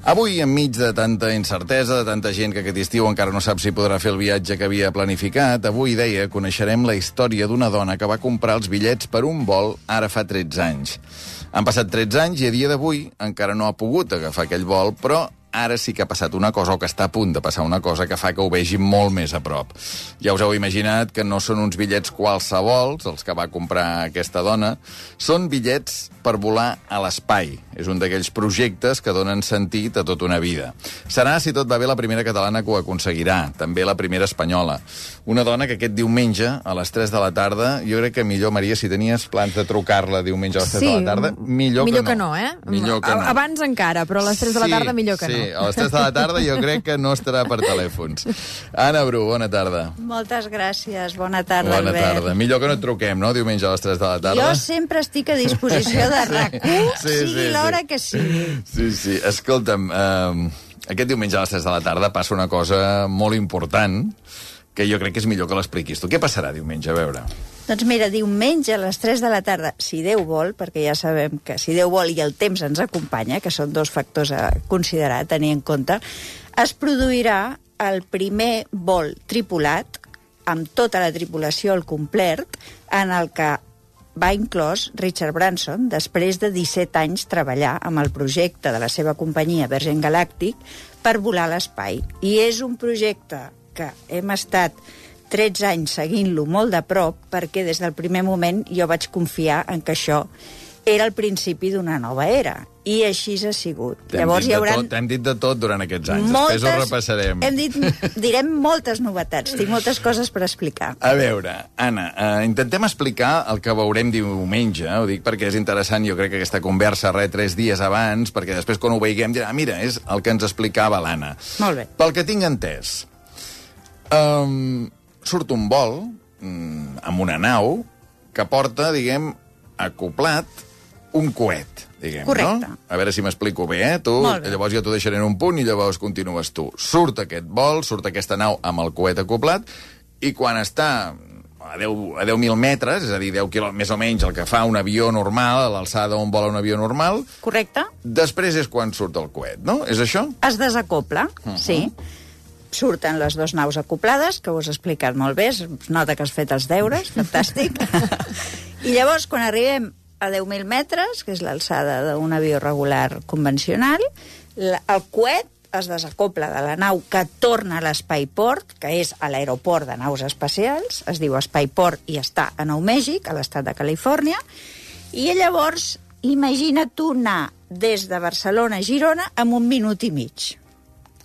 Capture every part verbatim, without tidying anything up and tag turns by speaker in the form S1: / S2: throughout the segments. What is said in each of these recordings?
S1: Avui, enmig de tanta incertesa, de tanta gent que aquest estiu encara no sap si podrà fer el viatge que havia planificat, avui, deia, coneixerem la història d'una dona que va comprar els bitllets per un vol ara fa tretze anys. Han passat tretze anys i a dia d'avui encara no ha pogut agafar aquell vol, però ara sí que ha passat una cosa, o que està a punt de passar una cosa, que fa que ho vegi molt més a prop. Ja us heu imaginat que no són uns bitllets qualsevols, els que va comprar aquesta dona, són bitllets per volar a l'espai. És un d'aquells projectes que donen sentit a tota una vida. Serà, si tot va bé, la primera catalana que ho aconseguirà, també la primera espanyola. Una dona que aquest diumenge, a les tres de la tarda, jo crec que millor, Maria, si tenies plans de trucar-la diumenge a les tres
S2: sí,
S1: de la tarda, millor,
S2: millor
S1: que no.
S2: que no, eh?
S1: Millor que no.
S2: Abans encara, però a les tres de la tarda millor que
S1: sí,
S2: no.
S1: Sí, a les tres de la tarda jo crec que no estarà per telèfons. Anna Bru, bona tarda.
S3: Moltes gràcies, bona tarda,
S1: bona
S3: Albert.
S1: Tarda. Millor que no et truquem, no?, diumenge a les tres de la tarda.
S3: Jo sempre estic a disposició de RAC u,
S1: sí,
S3: sigui
S1: sí,
S3: l'hora
S1: sí.
S3: que sigui.
S1: Sí, sí. Escolta'm, eh, aquest diumenge a les tres de la tarda passa una cosa molt important que jo crec que és millor que l'expliquis tu. Què passarà diumenge? A veure.
S3: Doncs mira, diumenge a les tres de la tarda, si Déu vol, perquè ja sabem que si Déu vol i el temps ens acompanya, que són dos factors a considerar, a tenir en compte, es produirà el primer vol tripulat, amb tota la tripulació al complet, en el que va inclòs Richard Branson, després de disset anys treballar amb el projecte de la seva companyia Virgin Galactic per volar a l'espai. I és un projecte que hem estat tretze anys seguint-lo molt de prop, perquè des del primer moment jo vaig confiar en que això era el principi d'una nova era. I així ha sigut.
S1: T'hem
S3: Llavors
S1: dit,
S3: hi haurà...
S1: T'hem dit de tot durant aquests anys.
S3: Moltes,
S1: Després ho repassarem.
S3: Hem dit, direm moltes novetats. Tinc moltes coses per explicar.
S1: A veure, Anna, eh, intentem explicar el que veurem diumenge. Ho dic perquè és interessant, jo crec que aquesta conversa re tres dies abans, perquè després quan ho veiguem dirà, ah, mira, és el que ens explicava l'Anna.
S3: Molt bé.
S1: Pel que tinc entès, um, surt un vol um, amb una nau que porta, diguem, acoplat un coet, diguem,
S3: correcte.
S1: No? A veure si m'explico bé, eh? Tu,
S3: bé.
S1: llavors jo t'ho deixaré en un punt i llavors continues tu. Surt aquest vol, surt aquesta nau amb el coet acoplat, i quan està a deu mil metres, és a dir, deu quilòmetres, més o menys el que fa un avió normal, a l'alçada on vola un avió normal...
S3: Correcte.
S1: Després és quan surt el coet, no? És això?
S3: Es desacopla, uh -huh. sí. Surten les dues naus acoplades, que ho has explicat molt bé, es nota que has fet els deures, fantàstic. I llavors, quan arribem a deu mil metres, que és l'alçada d'un avió regular convencional, el coet es desacopla de la nau que torna a l'Espaiport, que és a l'aeroport de naus espacials, es diu Espaiport i està a Nou Mèxic, a l'estat de Califòrnia, i llavors imagina't tu anar des de Barcelona a Girona en un minut i mig.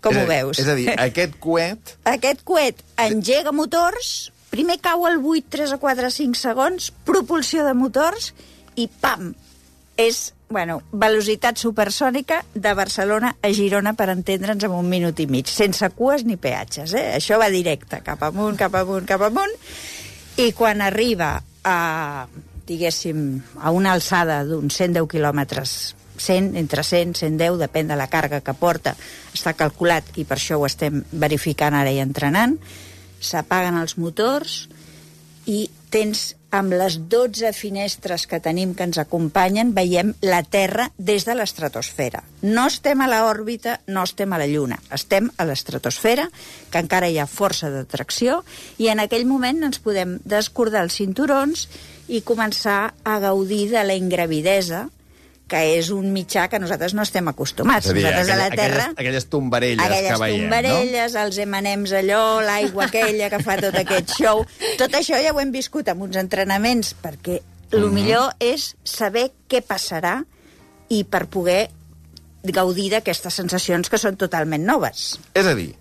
S3: Com ho veus?
S1: És a dir, aquest coet...
S3: Aquest coet engega motors, primer cau al buit tres o quatre cinc segons, propulsió de motors, i pam! És, bueno, velocitat supersònica de Barcelona a Girona, per entendre'ns, en un minut i mig, sense cues ni peatges, eh? Això va directe, cap amunt, cap amunt, cap amunt, i quan arriba a, diguéssim, a una alçada d'uns cent deu quilòmetres, cent, entre cent, cent deu, depèn de la càrrega que porta, està calculat, i per això ho estem verificant ara i entrenant, s'apaguen els motors i tens, amb les dotze finestres que tenim que ens acompanyen, veiem la Terra des de l'estratosfera. No estem a l'òrbita, no estem a la Lluna, estem a l'estratosfera, que encara hi ha força d'atracció, i en aquell moment ens podem descordar els cinturons i començar a gaudir de la ingravidesa, que és un mitjà que nosaltres no estem acostumats.
S1: És a dir,
S3: nosaltres
S1: aquella,
S3: a la Terra...
S1: Aquelles, aquelles tombarelles
S3: aquelles
S1: que veiem,
S3: tombarelles,
S1: no?
S3: els eme and ems allò, l'aigua aquella que fa tot aquest show... Tot això ja ho hem viscut amb uns entrenaments, perquè el
S1: Mm-hmm.
S3: millor és saber què passarà i per poder gaudir d'aquestes sensacions que són totalment noves.
S1: És a dir,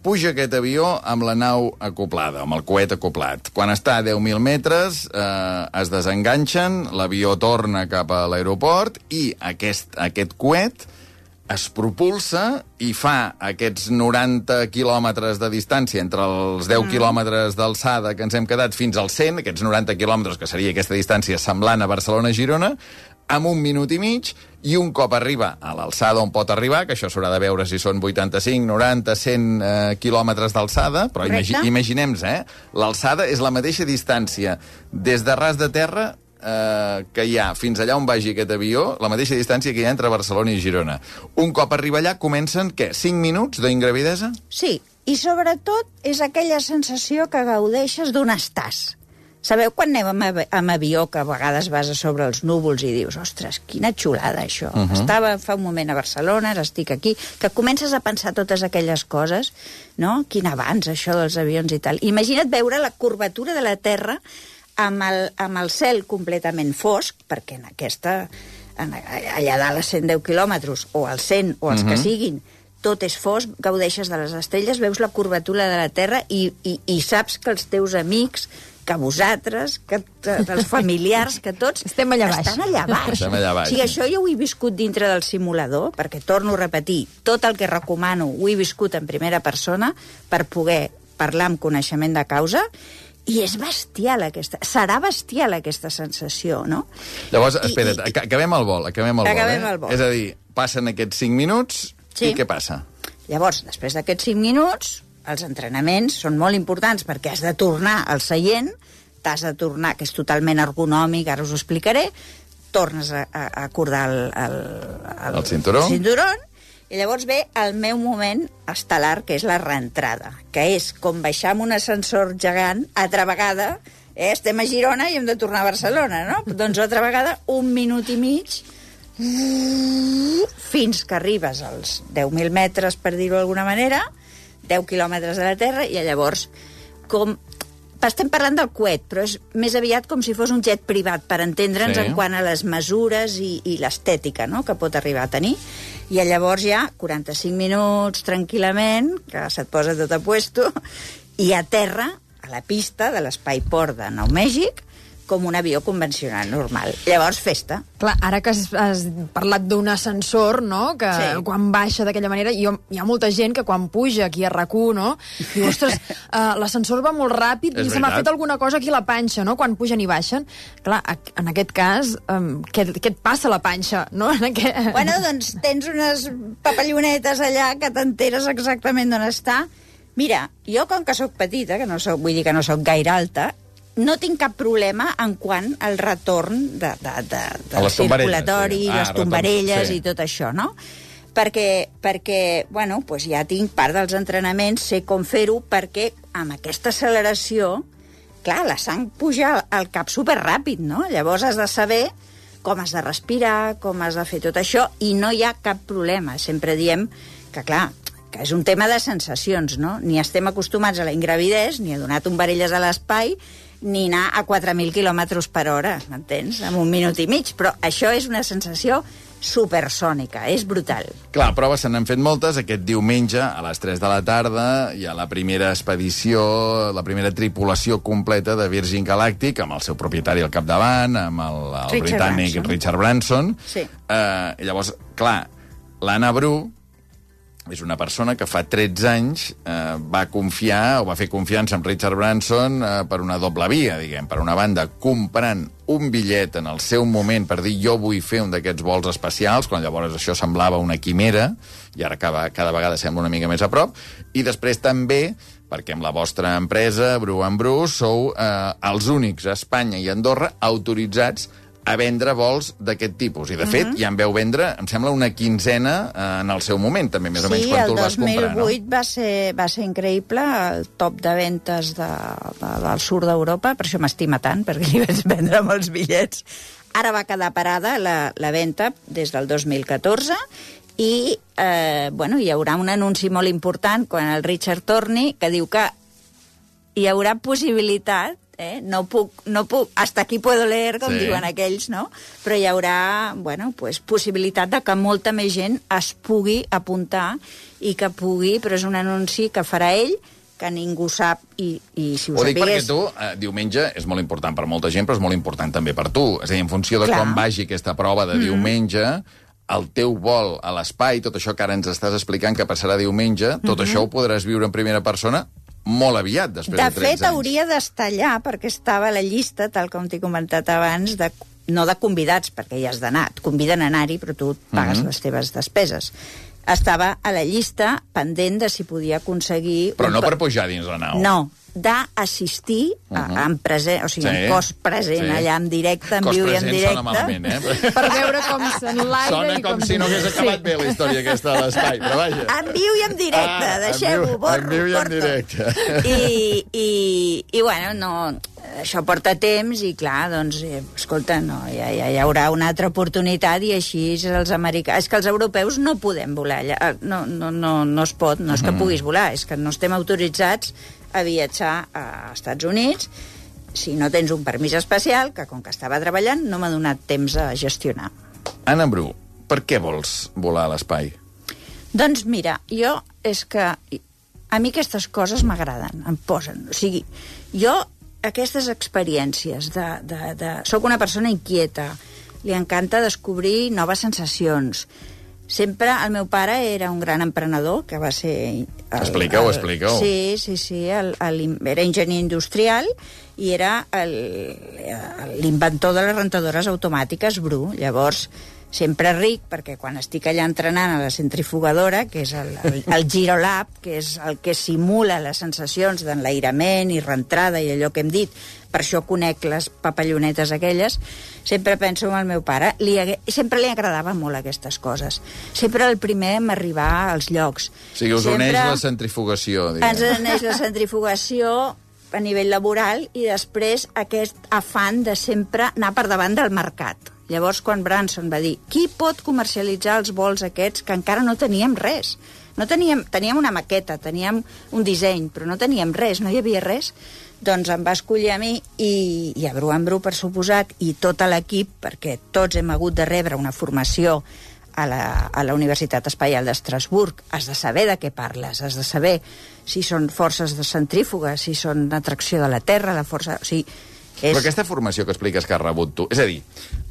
S1: puja aquest avió amb la nau acoplada, amb el coet acoplat. Quan està a deu mil metres, eh, es desenganxen, l'avió torna cap a l'aeroport i aquest, aquest coet es propulsa i fa aquests noranta quilòmetres de distància entre els deu mm. quilòmetres d'alçada que ens hem quedat fins als cent, aquests noranta quilòmetres, que seria aquesta distància semblant a Barcelona-Girona, amb un minut i mig, i un cop arriba a l'alçada on pot arribar, que això s'haurà de veure si són vuitanta-cinc, noranta, cent eh, quilòmetres d'alçada, però imagi imaginem-nos, eh? L'alçada és la mateixa distància des de ras de terra eh, que hi ha fins allà on vagi aquest avió, la mateixa distància que hi ha entre Barcelona i Girona. Un cop arriba allà, comencen, què, cinc minuts d'ingravidesa?
S3: Sí, i sobretot és aquella sensació que gaudeixes d'un estàs. Sabeu quan anem amb, amb avió, que a vegades vas a sobre els núvols i dius, ostres, quina xulada això. Uh -huh. Estava fa un moment a Barcelona, ara estic aquí, que comences a pensar totes aquelles coses, no? Quin avanç, això dels avions i tal. Imagina't veure la curvatura de la Terra amb el, amb el cel completament fosc, perquè en aquesta, en, allà dalt a cent deu quilòmetres, o als cent, o els uh -huh. que siguin, tot és fosc, gaudeixes de les estrelles, veus la curvatura de la Terra i, i, i saps que els teus amics, que vosaltres, que els familiars, que tots
S2: estem allà baix.
S3: Estan allà baix.
S1: Estem allà baix.
S3: O sigui, això jo ho he viscut dintre del simulador, perquè, torno a repetir, tot el que recomano ho he viscut en primera persona per poder parlar amb coneixement de causa, i és bestial aquesta... Serà bestial aquesta sensació, no?
S1: Llavors, espera't, I, i... acabem el vol, acabem el
S3: acabem
S1: vol, eh?
S3: el vol.
S1: És a dir, passen aquests cinc minuts, sí. I què passa?
S3: Llavors, després d'aquests cinc minuts, els entrenaments són molt importants perquè has de tornar al seient, t'has de tornar, que és totalment ergonòmic, ara us ho explicaré, tornes a, a acordar el, el,
S1: el, el cinturó.
S3: el cinturó, i llavors ve el meu moment estel·lar, que és la reentrada, que és com baixar amb un ascensor gegant, altra vegada, eh, estem a Girona i hem de tornar a Barcelona, no? Doncs altra vegada, un minut i mig, fins que arribes als deu mil metres, per dir-ho d'alguna manera, deu quilòmetres de la Terra, i llavors, com... Estem parlant del coet, però és més aviat com si fos un jet privat, per entendre'ns sí. En quant a les mesures i, i l'estètica, no?, que pot arribar a tenir. I llavors ja, quaranta-cinc minuts, tranquil·lament, que se't posa tot a puesto, i a terra, a la pista de l'Espai Port de Nou Mèxic, com un avió convencional, normal. Llavors, festa.
S2: Clar, ara que has, has parlat d'un ascensor, no?, que sí. Quan baixa d'aquella manera, jo, hi ha molta gent que quan puja aquí a RAC u, no?, diu, ostres, uh, l'ascensor va molt ràpid i se m'ha fet alguna cosa aquí a la panxa, no?, quan pugen i baixen. Clar, en aquest cas, um, què, què et passa a la panxa, no? En aquest...
S3: Bueno, doncs tens unes papallonetes allà que t'enteres exactament d'on està. Mira, jo, com que sóc petita, que no soc, vull dir que no sóc gaire alta, no tinc cap problema en quant al retorn de, de, de, del circulatori, sí. ah, les tombarelles sí. I tot això, no? Perquè, perquè bueno, pues ja tinc part dels entrenaments, sé com fer-ho, perquè amb aquesta acceleració, clar, la sang puja al cap superràpid, no? Llavors has de saber com has de respirar, com has de fer tot això, i no hi ha cap problema. Sempre diem que, clar, que és un tema de sensacions, no? Ni estem acostumats a la ingravidesa, ni a donar tombarelles a l'espai, ni anar a quatre mil quilòmetres per hora, m'entens? En un minut i mig. Però això és una sensació supersònica, és brutal.
S1: Clar, proves se n'han fet moltes. Aquest diumenge, a les tres de la tarda, hi ha la primera expedició, la primera tripulació completa de Virgin Galactic, amb el seu propietari al capdavant, amb el, el
S3: Richard
S1: britànic
S3: Branson.
S1: Richard Branson.
S3: Sí.
S1: Eh, i llavors, clar, l'Anna Bru és una persona que fa tretze anys eh, va confiar, o va fer confiança amb Richard Branson eh, per una doble via, diguem. Per una banda, comprant un bitllet en el seu moment per dir jo vull fer un d'aquests vols espacials, quan llavors això semblava una quimera, i ara cada, cada vegada sembla una mica més a prop, i després també perquè amb la vostra empresa, Bru and Bru, sou eh, els únics a Espanya i a Andorra autoritzats a vendre vols d'aquest tipus. I, de fet, uh -huh. ja en veu vendre, em sembla, una quinzena eh, en el seu moment, també, més
S3: sí,
S1: o menys, quan tu el vas comprar, no?
S3: Sí, el dos mil vuit va ser, va ser increïble, el top de ventes de, de, del sud d'Europa, per això m'estima tant, perquè li vaig vendre molts bitllets. Ara va quedar parada la, la venda des del dos mil catorze, i eh, bueno, hi haurà un anunci molt important quan el Richard torni, que diu que hi haurà possibilitat, eh? no puc, no puc, hasta aquí puedo leer, com sí. diuen aquells, no? Però hi haurà, bueno, pues, possibilitat de que molta més gent es pugui apuntar i que pugui, però és un anunci que farà ell, que ningú sap, i, i si ho,
S1: ho dic
S3: sapigués...
S1: perquè tu, eh, diumenge, és molt important per molta gent, però és molt important també per tu. És a dir, en funció de
S3: Clar.
S1: com vagi aquesta prova de mm. diumenge, el teu vol a l'espai, tot això que ara ens estàs explicant que passarà diumenge, tot mm-hmm. això ho podràs viure en primera persona molt aviat, després de, de tretze anys.
S3: De fet, hauria d'estar allà, perquè estava a la llista, tal com t'he comentat abans, de, no de convidats, perquè ja has d'anar, et conviden a anar-hi, però tu pagues mm-hmm. les teves despeses. Estava a la llista pendent de si podia aconseguir...
S1: Però
S3: un...
S1: no per pujar dins la nau.
S3: No, d'assistir uh -huh. en present, o sigui, sí, en cos present, sí, allà en directe, en
S1: cos
S3: viu i en directe.
S1: Sona malament, eh?
S2: Per veure com s'enlaira.
S1: Sona com, com si no hagués acabat sí. bé la història aquesta de l'espai, però vaja.
S3: En viu i en directe, ah, deixeu-ho, borro,
S1: en viu i en directe.
S3: I, i, i bueno, no... Això porta temps i, clar, doncs, eh, escolta, no, ja, ja hi haurà una altra oportunitat i així els americans... És que els europeus no podem volar allà. No, no, no, no es pot, no és que puguis volar, és que no estem autoritzats a viatjar a Estats Units si no tens un permís especial, que com que estava treballant no m'ha donat temps a gestionar.
S1: Anna Bru, per què vols volar a l'espai?
S3: Doncs mira, jo és que... A mi aquestes coses m'agraden, em posen. O sigui, jo... aquestes experiències de, de, de... Soc una persona inquieta, li encanta descobrir noves sensacions. Sempre el meu pare era un gran emprenedor, que va ser...
S1: Explica-ho, explica-ho.
S3: Sí, sí, sí, el, el, era enginyer industrial i era l'inventor de les rentadores automàtiques, Bru. Llavors, sempre ric, perquè quan estic allà entrenant a la centrifugadora, que és el, el, el Girolab, que és el que simula les sensacions d'enlairament i reentrada i allò que hem dit, per això conec les papallonetes aquelles, sempre penso en el meu pare. Li hagué, sempre li agradava molt aquestes coses. Sempre el primer en arribar als llocs.
S1: O sigui, us
S3: sempre
S1: uneix la centrifugació, diguem.
S3: Ens uneix la centrifugació a nivell laboral i després aquest afany de sempre anar per davant del mercat. Llavors, quan Branson va dir qui pot comercialitzar els vols aquests, que encara no teníem res. No teníem, teníem una maqueta, teníem un disseny, però no teníem res, no hi havia res. Doncs em va escollir a mi i, i a Bru en Bru, per suposat, i tot l'equip, perquè tots hem hagut de rebre una formació a la, a la Universitat Espaial d'Estrasburg. Has de saber de què parles, has de saber si són forces de centrífuga, si són atracció de la Terra, la força... O sigui, és...
S1: Però aquesta formació que expliques que has rebut tu... És a dir,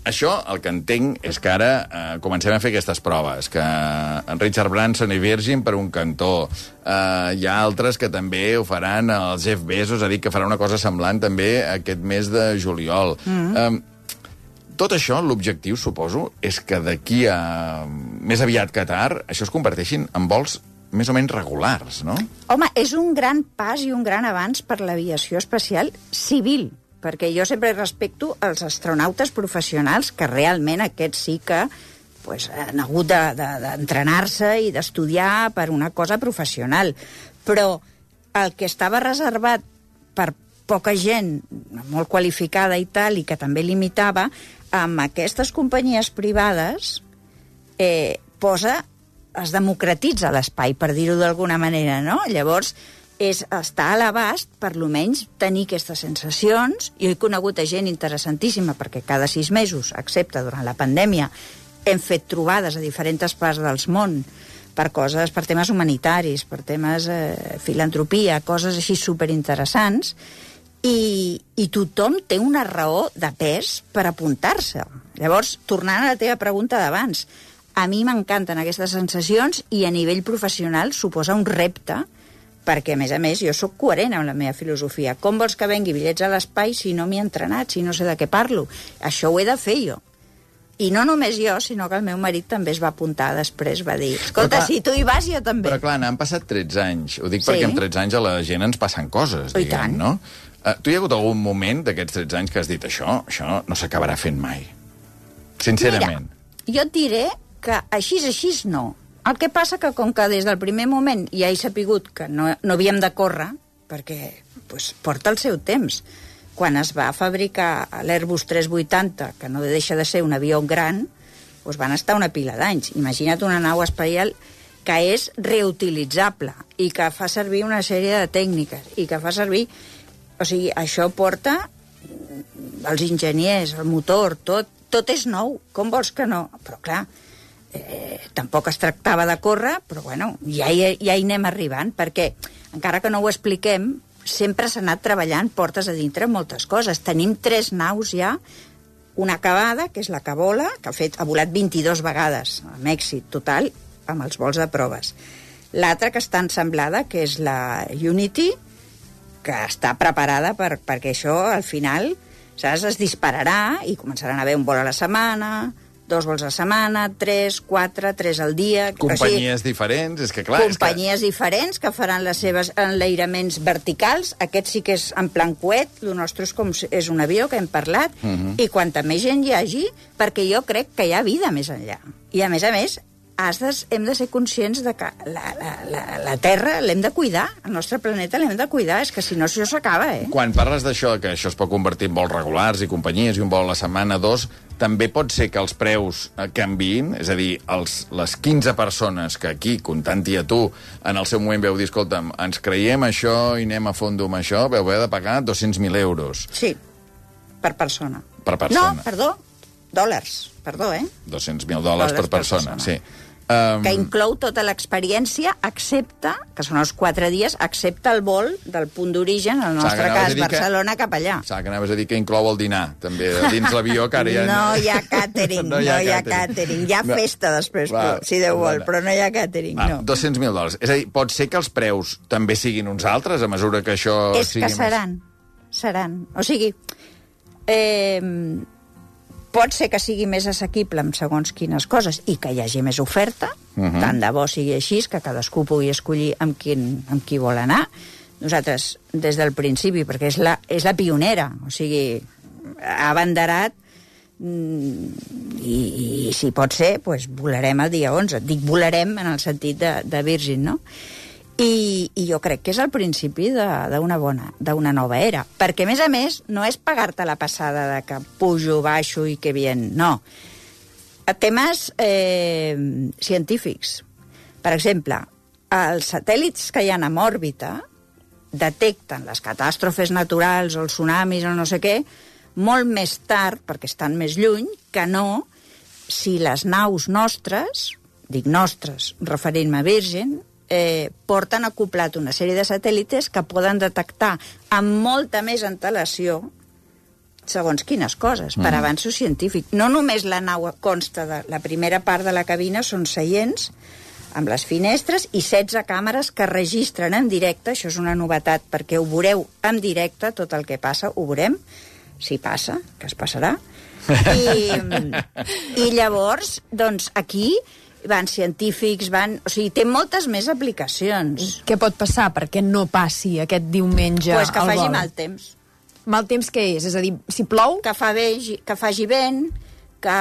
S1: això el que entenc és que ara eh, comencem a fer aquestes proves, que en Richard Branson i Virgin per un cantó, eh, hi ha altres que també ho faran, el Jeff Bezos ha dit que farà una cosa semblant també aquest mes de juliol. Mm-hmm. eh, tot això, l'objectiu, suposo, és que d'aquí a més aviat que tard, això es converteixin en vols més o menys regulars, no?
S3: Home, és un gran pas i un gran avanç per l'aviació espacial civil, perquè jo sempre respecto els astronautes professionals, que realment aquests sí que pues, han hagut d'entrenar-se de, de, i d'estudiar per una cosa professional. Però el que estava reservat per poca gent molt qualificada i tal, i que també limitava, amb aquestes companyies privades eh, posa, es democratitza l'espai, per dir-ho d'alguna manera, no? Llavors, és estar a l'abast, per lo menys, tenir aquestes sensacions. Jo he conegut a gent interessantíssima, perquè cada sis mesos, excepte durant la pandèmia, hem fet trobades a diferents parts del món per coses, per temes humanitaris, per temes eh, filantropia, coses així superinteressants, i, i tothom té una raó de pes per apuntar-se. Llavors, tornant a la teva pregunta d'abans, a mi m'encanten aquestes sensacions i a nivell professional suposa un repte, perquè, a més a més, jo sóc coherent amb la meva filosofia. Com vols que vengui bitllets a l'espai si no m'hi he entrenat, si no sé de què parlo? Això ho he de fer jo. I no només jo, sinó que el meu marit també es va apuntar després, va dir, escolta, clar, si tu hi vas, jo també.
S1: Però clar, n'han passat tretze anys. Ho dic
S3: sí,
S1: perquè amb tretze anys a la gent ens passen coses,
S3: oh,
S1: diguem, no? Uh, tu hi ha hagut algun moment d'aquests tretze anys que has dit això, això no s'acabarà fent mai? Sincerament.
S3: Mira, jo et diré que així és així no. El que passa que com que des del primer moment ja he sapigut que no, no havíem de córrer, perquè pues, porta el seu temps. Quan es va fabricar l'Airbus tres vuitanta, que no deixa de ser un avió gran, doncs van estar una pila d'anys. Imagina't una nau espacial que és reutilitzable i que fa servir una sèrie de tècniques i que fa servir... O sigui, això porta els enginyers, el motor, tot, tot és nou. Com vols que no? Però clar, eh, tampoc es tractava de córrer, però bueno, ja hi, ja hi anem arribant, perquè encara que no ho expliquem, sempre s'ha anat treballant portes a dintre moltes coses. Tenim tres naus ja, una acabada, que és la que vola, que ha, fet, ha volat vint-i-dues vegades, amb èxit total, amb els vols de proves. L'altra que està ensemblada, que és la Unity, que està preparada per, perquè això, al final, saps, es dispararà i començaran a haver un vol a la setmana, dos vols a setmana, tres, quatre, tres al dia...
S1: Companyies o sigui, diferents, és que clar...
S3: Companyies
S1: és que...
S3: diferents que faran les seves enlairaments verticals. Aquest sí que és en plan coet, el nostre és com és un avió, que hem parlat, uh -huh. i quanta més gent hi hagi, perquè jo crec que hi ha vida més enllà. I a més a més, has de, hem de ser conscients de que la, la, la, la Terra l'hem de cuidar, el nostre planeta l'hem de cuidar, és que si no això s'acaba, eh?
S1: Quan parles d'això, que això es pot convertir en vols regulars i companyies i un vol a la setmana, dos, també pot ser que els preus canviïn, és a dir, els, les quinze persones que aquí, comptant-hi a tu, en el seu moment veu dir, escolta'm, ens creiem això i anem a fondo amb això, veu haver de pagar dos-cents mil euros.
S3: Sí, per persona.
S1: Per persona.
S3: No, perdó, dòlars, perdó, eh?
S1: dos-cents mil dòlars per persona, per persona. Sí.
S3: Um... que inclou tota l'experiència, excepte, que són els quatre dies, excepte el vol del punt d'origen, en el nostre cas, Barcelona, que, cap allà.
S1: Saps que anaves a dir que inclou el dinar, també, dins l'avió, que ara ja...
S3: No hi ha càtering, no hi ha, no hi ha càtering. Hi ha no. festa després, va, però, si Déu vol, però no hi ha càtering, no.
S1: dos-cents mil dòlars. És a dir, pot ser que els preus també siguin uns altres, a mesura que això
S3: És
S1: sigui
S3: que seran, més... seran. O sigui, eh... pot ser que sigui més assequible amb segons quines coses i que hi hagi més oferta, uh -huh. tant de bo sigui així, que cadascú pugui escollir amb, quin, amb qui vol anar. Nosaltres, des del principi, perquè és la, és la pionera, o sigui, ha abanderat i, i si pot ser, doncs volarem el dia onze. Dic volarem en el sentit de, de Virgin, no? I, i jo crec que és el principi d'una bona, d'una nova era. Perquè, a més a més, no és pagar-te la passada de que pujo, baixo i que bien, no. Temes eh, científics. Per exemple, els satèl·lits que hi ha en òrbita detecten les catàstrofes naturals o els tsunamis o no sé què molt més tard, perquè estan més lluny, que no si les naus nostres, dic nostres, referint-me a Virgin, Eh, porten acoplat una sèrie de satèl·lites que poden detectar amb molta més antelació segons quines coses, per mm. avanços científics. No només la nau consta de la primera part de la cabina, són seients amb les finestres i setze càmeres que registren en directe, això és una novetat perquè ho veureu en directe, tot el que passa, ho veurem, si passa, que es passarà. I, i llavors, doncs, aquí van científics, van... O sigui, té moltes més aplicacions.
S2: Què pot passar perquè no passi aquest diumenge
S3: pues que
S2: al vol?
S3: Faci mal temps.
S2: Mal temps què és? És a dir, si plou...
S3: Que, fa vegi, que faci vent, que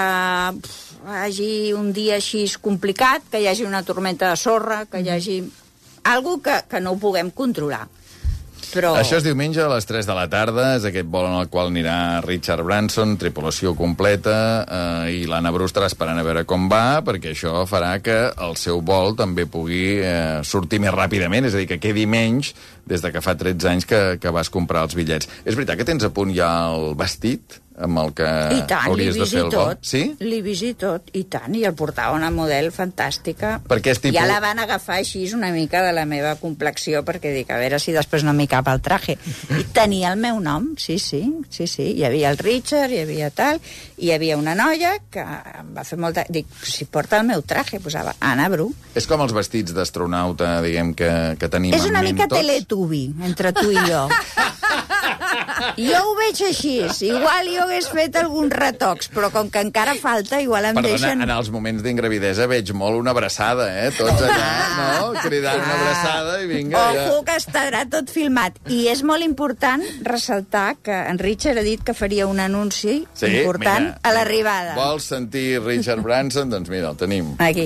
S3: pff, hagi un dia així complicat, que hi hagi una tormenta de sorra, que hi hagi... Algo que, que no ho puguem controlar. Però...
S1: Això és diumenge a les tres de la tarda, és aquest vol en el qual anirà Richard Branson, tripulació completa, eh, i l'Anna Bru estarà esperant a veure com va, perquè això farà que el seu vol també pugui eh, sortir més ràpidament, és a dir, que quedi menys des de que fa tretze anys que, que vas comprar els bitllets. És veritat que tens a punt ja el vestit amb el que
S3: I tant,
S1: hauries de fer el vol?
S3: Sí? L'he vist i tot, i tant, i el portava una model fantàstica.
S1: Perquè és tipus...
S3: Ja la van agafar així una mica de la meva complexió, perquè dic, a veure si després no m'hi cap el traje. I tenia el meu nom, sí, sí, sí, sí. Hi havia el Richard, hi havia tal, i hi havia una noia que em va fer molta... Dic, si porta el meu traje, posava Anna Bru.
S1: És com els vestits d'astronauta, diguem, que, que tenim
S3: és
S1: en
S3: una
S1: ment
S3: mica
S1: tots.
S3: Teletubby, entre tu i jo. Jo ho veig així. Igual jo hagués fet alguns retocs, però com que encara falta, igual em
S1: Perdona,
S3: deixen...
S1: en els moments d'ingravidesa veig molt una abraçada, eh? Tots allà, no? Cridant una abraçada i vinga.
S3: Ojo,
S1: ja.
S3: que estarà tot filmat. I és molt important ressaltar que en Richard ha dit que faria un anunci
S1: sí,
S3: important
S1: mira,
S3: a l'arribada.
S1: Vols sentir Richard Branson? Doncs mira, el tenim.
S3: Aquí.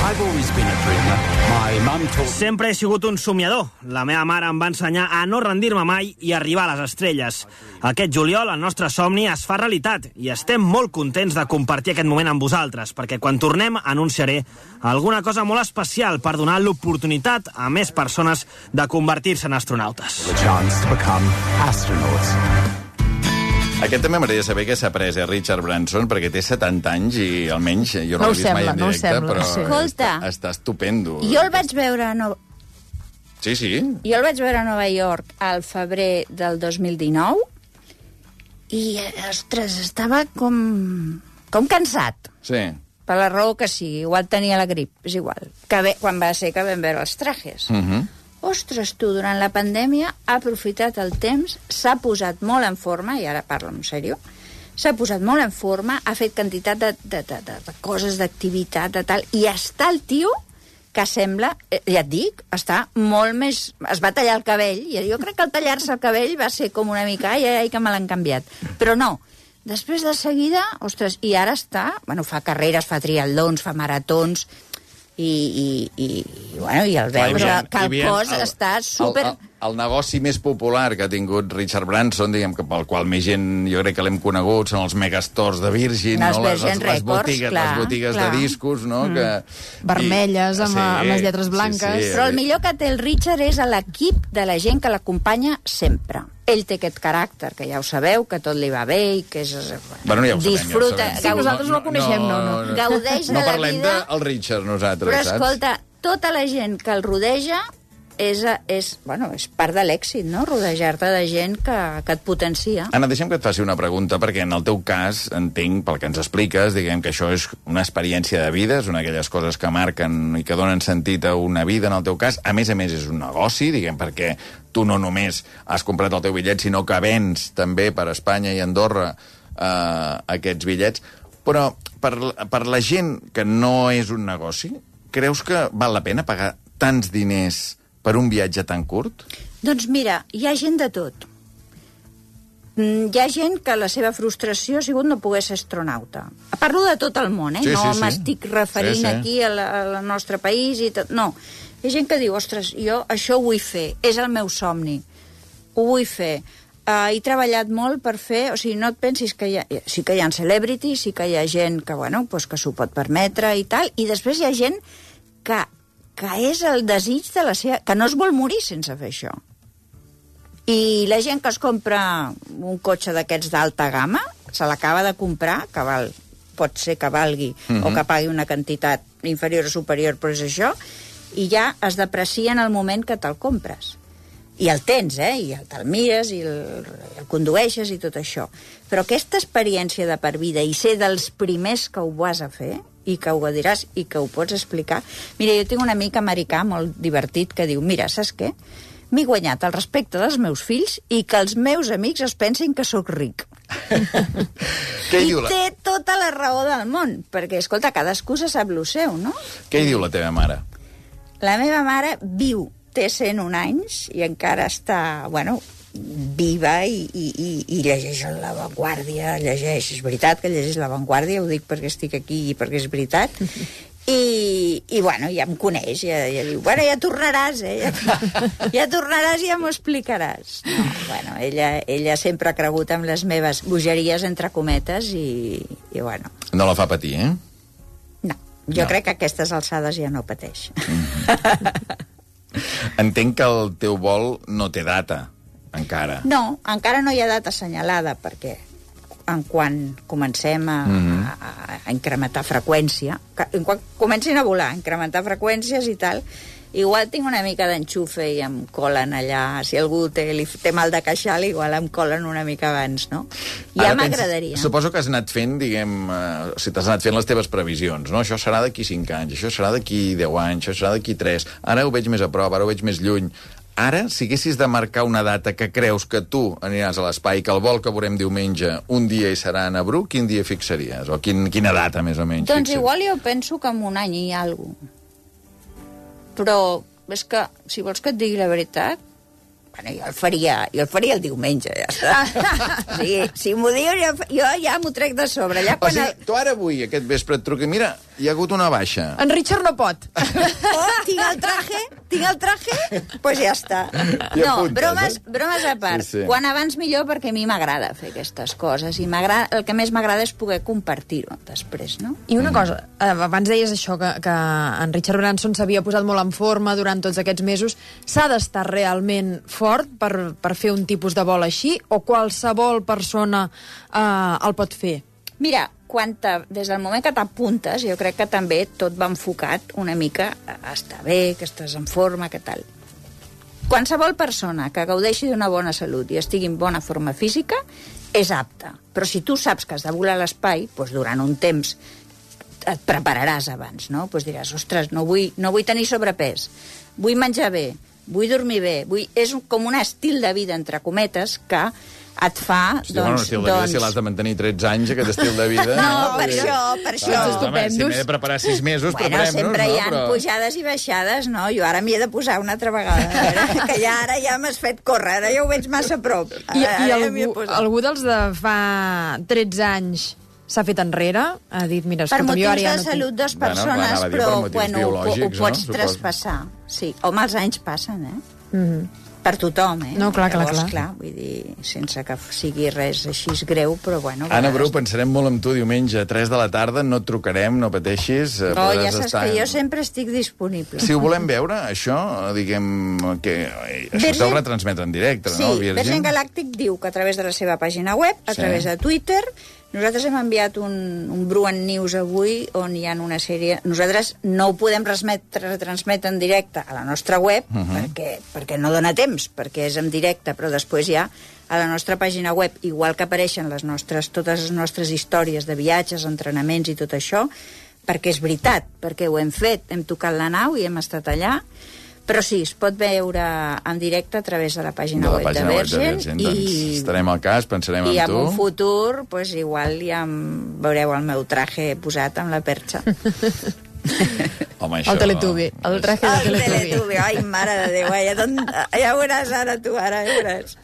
S4: I've always been a dreamer. My mum told...
S5: Sempre he sigut un somiador. La meva mare em va ensenyar a no rendir-me mai i arribar a les estrelles. Aquest juliol el nostre somni es fa realitat i estem molt contents de compartir aquest moment amb vosaltres, perquè quan tornem anunciaré alguna cosa molt especial per donar l'oportunitat a més persones de convertir-se en astronautes.
S4: The chance to become astronauts.
S1: Aquest també m'agradaria saber què s'ha pres, eh, Richard Branson, perquè té setanta anys i almenys jo no,
S2: no
S1: l'he vist mai en
S2: no
S1: directe,
S2: sembla,
S1: però
S2: sí.
S3: Escolta,
S1: està, està estupendo.
S3: Jo el vaig veure a Nova...
S1: Sí, sí.
S3: Jo el vaig veure a Nova York al febrer del dos mil dinou i, ostres, estava com, com cansat.
S1: Sí.
S3: Per la raó que sigui, igual tenia la grip, és igual. Que ve, quan va ser que vam veure els trajes.
S1: Uh -huh.
S3: Ostres, tu, durant la pandèmia ha aprofitat el temps, s'ha posat molt en forma, i ara parlo en sèrio, s'ha posat molt en forma, ha fet quantitat de, de, de, de, de coses, d'activitat, de tal, i està el tio que sembla, ja et dic, està molt més... Es va tallar el cabell, i jo crec que el tallar-se el cabell va ser com una mica, ai, ai, ai, que me l'han canviat. Però no, després de seguida, ostres, i ara està, bueno, fa carreres, fa triatlons, fa maratons, i, i, i, i bueno, i el veus que el cos el, està super...
S1: El, el, el negoci més popular que ha tingut Richard Branson, diguem que pel qual més gent, jo crec que l'hem conegut, són els megastores de Virgin,
S3: no,
S1: no? les, les,
S3: les,
S1: botigues,
S3: clar,
S1: les botigues
S3: clar.
S1: de discos, no? Mm. Que,
S2: vermelles, amb, sí, amb les lletres blanques.
S1: Sí, sí,
S3: però el millor que té el Richard és a l'equip de la gent que l'acompanya sempre. Ell té aquest caràcter, que ja ho sabeu, que tot li va bé i que és...
S1: Bueno, ja ho sabem,
S3: disfruta,
S1: ja ho sabem.
S2: Sí, nosaltres no, no coneixem, no. no,
S1: no.
S3: Gaudeix
S1: no
S3: de la vida...
S1: No parlem del Richard, nosaltres,
S3: però,
S1: saps?
S3: Però, escolta, tota la gent que el rodeja és, és, bueno, és part de l'èxit, no? Rodejar-te de gent que, que et potencia.
S1: Anna, deixa'm que et faci una pregunta, perquè en el teu cas, entenc, pel que ens expliques, diguem que això és una experiència de vida, és una d'aquelles coses que marquen i que donen sentit a una vida, en el teu cas. A més a més, és un negoci, diguem, perquè tu no només has comprat el teu bitllet, sinó que vens també per Espanya i Andorra eh, aquests bitllets. Però per, per la gent que no és un negoci, creus que val la pena pagar tants diners per un viatge tan curt?
S3: Doncs mira, hi ha gent de tot. Hi ha gent que la seva frustració ha sigut no poder ser astronauta. Parlo de tot el món, eh?
S1: Sí,
S3: no
S1: sí, sí.
S3: m'estic referint sí, sí. aquí al nostre país i tot. No, hi ha gent que diu, ostres, jo això ho vull fer, és el meu somni, ho vull fer. Uh, he treballat molt per fer... O sigui, no et pensis que hi ha... Sí que hi ha celebrities, sí que hi ha gent que, bueno, pues que s'ho pot permetre i tal, i després hi ha gent que, que és el desig de la seva... que no es vol morir sense fer això. I la gent que es compra un cotxe d'aquests d'alta gamma, se l'acaba de comprar, que val, pot ser que valgui, mm-hmm. o que pagui una quantitat inferior o superior, però és això, i ja es deprecia en el moment que te'l compres. I el tens, eh? I te'l mires, i el, el condueixes i tot això. Però aquesta experiència de per vida i ser dels primers que ho vas a fer i que ho diràs i que ho pots explicar... Mira, jo tinc un amic americà molt divertit que diu, mira, saps què? M'he guanyat el respecte dels meus fills i que els meus amics es pensin que sóc ric.
S1: Què
S3: I
S1: diu la...
S3: té tota la raó del món, perquè, escolta, cadascú se sap lo seu, no?
S1: Què hi diu la teva mare?
S3: La meva mare viu, té cent un anys i encara està, bueno, viva i, i, i, i llegeix La Vanguardia, llegeix, és veritat que llegeix La Vanguardia, ho dic perquè estic aquí i perquè és veritat, i, i bueno, ja em coneix, ja, ja diu, bueno, ja tornaràs, eh? Ja, ja tornaràs i ja m'ho explicaràs. No, bueno, ella, ella sempre ha cregut en les meves bogeries, entre cometes, i, i bueno...
S1: No la fa patir, eh?
S3: No, jo
S1: no.
S3: crec que a aquestes alçades ja no pateix.
S1: Mm-hmm. Entenc que el teu vol no té data, encara.
S3: No, encara no hi ha data assenyalada, perquè en quan comencem a, mm-hmm. a, a incrementar freqüència, en quan comencin a volar, incrementar freqüències i tal, igual tinc una mica d'enxufe i em colen allà, si algú té, li, té mal de queixal, igual em colen una mica abans, no? Ja m'agradaria.
S1: Suposo que has anat fent, diguem, eh, o sigui, t'has anat fent les teves previsions, no? Això serà d'aquí cinc anys, això serà d'aquí deu anys, això serà d'aquí tres, ara ho veig més a prop, ara ho veig més lluny. Ara, si haguessis de marcar una data que creus que tu aniràs a l'espai, que el vol que veurem diumenge un dia hi serà a Nabru, quin dia fixaries? O quin, quina data, més o menys?
S3: Doncs
S1: fixaries?
S3: igual jo penso que en un any hi ha alguna cosa. Però és que, si vols que et digui la veritat, bueno, jo el faria, jo el faria el diumenge, ja està. O sigui, si m'ho dius, jo, jo ja m'ho trec de sobre. Ja quan
S1: o sigui,
S3: el...
S1: tu ara avui, aquest vespre, et truqui, mira, hi ha hagut una baixa.
S2: En Richard no pot.
S3: Oh, tinc el traje, tinc el traje, doncs pues ja està.
S1: I
S3: No,
S1: apuntes,
S3: bromes,
S1: eh?
S3: bromes a part.
S1: Sí, sí.
S3: Quan abans millor, perquè a mi m'agrada fer aquestes coses. I el que més m'agrada és poder compartir-ho després, no?
S2: I una cosa, eh, abans deies això, que, que en Richard Branson s'havia posat molt en forma durant tots aquests mesos. S'ha d'estar realment fort per, per fer un tipus de vol així, o qualsevol persona eh, el pot fer?
S3: Mira, quan des del moment que t'apuntes, jo crec que també tot va enfocat una mica a estar bé, que estàs en forma, que tal. Qualsevol persona que gaudeixi d'una bona salut i estigui en bona forma física és apta. Però si tu saps que has de volar a l'espai, doncs durant un temps et prepararàs abans, no? Doncs diràs, ostres, no vull, no vull tenir sobrepès, vull menjar bé, vull dormir bé, vull... és com un estil de vida, entre cometes, que et fa,
S1: Hosti,
S3: doncs...
S1: bueno, estil de vida,
S3: doncs...
S1: si l'has de mantenir tretze anys, aquest estil de vida...
S3: No, per això, per això.
S1: Ah, home, si m'he de preparar sis mesos,
S3: bueno,
S1: preparem-nos,
S3: sempre hi ha
S1: no? Però...
S3: pujades i baixades, no? Jo ara m'hi he de posar una altra vegada, a veure, que ja ara ja m'has fet córrer, ara ja ho veig massa a prop. Ara,
S2: I, i
S3: ara ja m'hi he
S2: algú,
S3: posat.
S2: algú dels de fa tretze anys s'ha fet enrere? Ha dit, mira,
S3: Per
S2: escolta'm, jo
S3: motius
S2: ara ja
S3: de
S2: no
S3: salut
S2: tinc...
S3: dos
S1: Bueno,
S3: persones,
S1: anava a dir
S3: però
S1: per motius
S3: bueno, ho, ho
S1: biològics,
S3: pots
S1: no?
S3: traspassar. Sí, home, els anys passen, eh?
S2: Mm-hmm.
S3: Per tothom, eh?
S2: No, clar, clar,
S3: Llavors,
S2: clar.
S3: clar, vull dir, sense que sigui res així greu, però bueno...
S1: Anna Bru,
S3: vegades...
S1: pensarem molt en tu diumenge a tres de la tarda, no et trucarem, no pateixis. eh,
S3: Oh, ja
S1: podràs
S3: saps
S1: estar...
S3: que jo sempre estic disponible.
S1: Si ho volem veure, això, diguem, que eh, això
S3: Virgin-
S1: s'ho retransmet en directe,
S3: Sí,
S1: no, Virgin?
S3: Virgin Galàctic diu que a través de la seva pàgina web, a
S1: Sí.
S3: través de Twitter, nosaltres hem enviat un, un Bruant News avui on hi ha una sèrie... Nosaltres no ho podem retransmetre en directe a la nostra web, uh -huh. perquè, perquè no dona temps, perquè és en directe, però després ja a la nostra pàgina web, igual que apareixen les nostres, totes les nostres històries de viatges, entrenaments i tot això, perquè és veritat, perquè ho hem fet, hem tocat la nau i hem estat allà, però sí, es pot veure en directe a través de la pàgina,
S1: De la
S3: web,
S1: pàgina
S3: de
S1: web de
S3: Virgin,
S1: Virgin, doncs
S3: i,
S1: estarem al cas, pensarem
S3: i
S1: en
S3: en
S1: tu.
S3: un futur pues, igual ja em veureu el meu traje posat amb la perxa.
S1: Home, això...
S2: El Teletubby, el traje de
S3: El
S2: Teletubby.
S3: Teletubby, ai, mare de Déu, ja, don... ja ho veuràs ara tu, ara ja ho veuràs.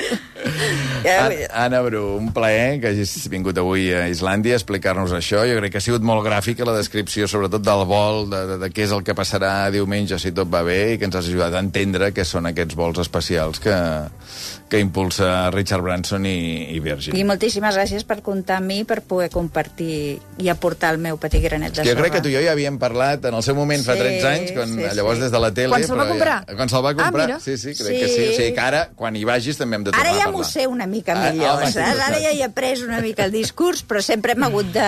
S3: Ja,
S1: An Anna Bru, un plaer que hagis vingut avui a Islàndia a explicar-nos això. Jo crec que ha sigut molt gràfica la descripció, sobretot del vol, de, de, de què és el que passarà diumenge si tot va bé, i que ens has ajudat a entendre què són aquests vols especials que, que impulsa Richard Branson i, i Virgin.
S3: I moltíssimes gràcies per comptar amb mi, per poder compartir i aportar el meu petit granet de
S1: Jo
S3: sorra.
S1: crec que tu i jo ja havíem parlat en el seu moment fa
S3: Sí,
S1: tretze anys, quan,
S3: sí,
S1: llavors
S3: sí.
S1: des de la tele...
S2: Quan se'l va
S1: però
S2: comprar?
S1: Ja, quan se'l va
S2: Ah,
S1: comprar,
S2: mira.
S1: sí, sí, crec
S3: Sí.
S1: que sí. O sigui que ara, quan hi vagis, també hem de tornar
S3: Ara ja
S1: a
S3: m'ho
S1: parlar.
S3: sé una mica
S1: Ah,
S3: millor,
S1: home, sí,
S3: saps?
S1: ho
S3: Ara
S1: saps.
S3: ja hi he pres una mica el discurs, però sempre hem hagut de...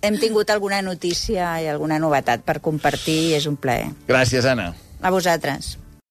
S3: hem tingut alguna notícia i alguna novetat per compartir i és un plaer.
S1: Gràcies, Anna.
S3: A vosaltres.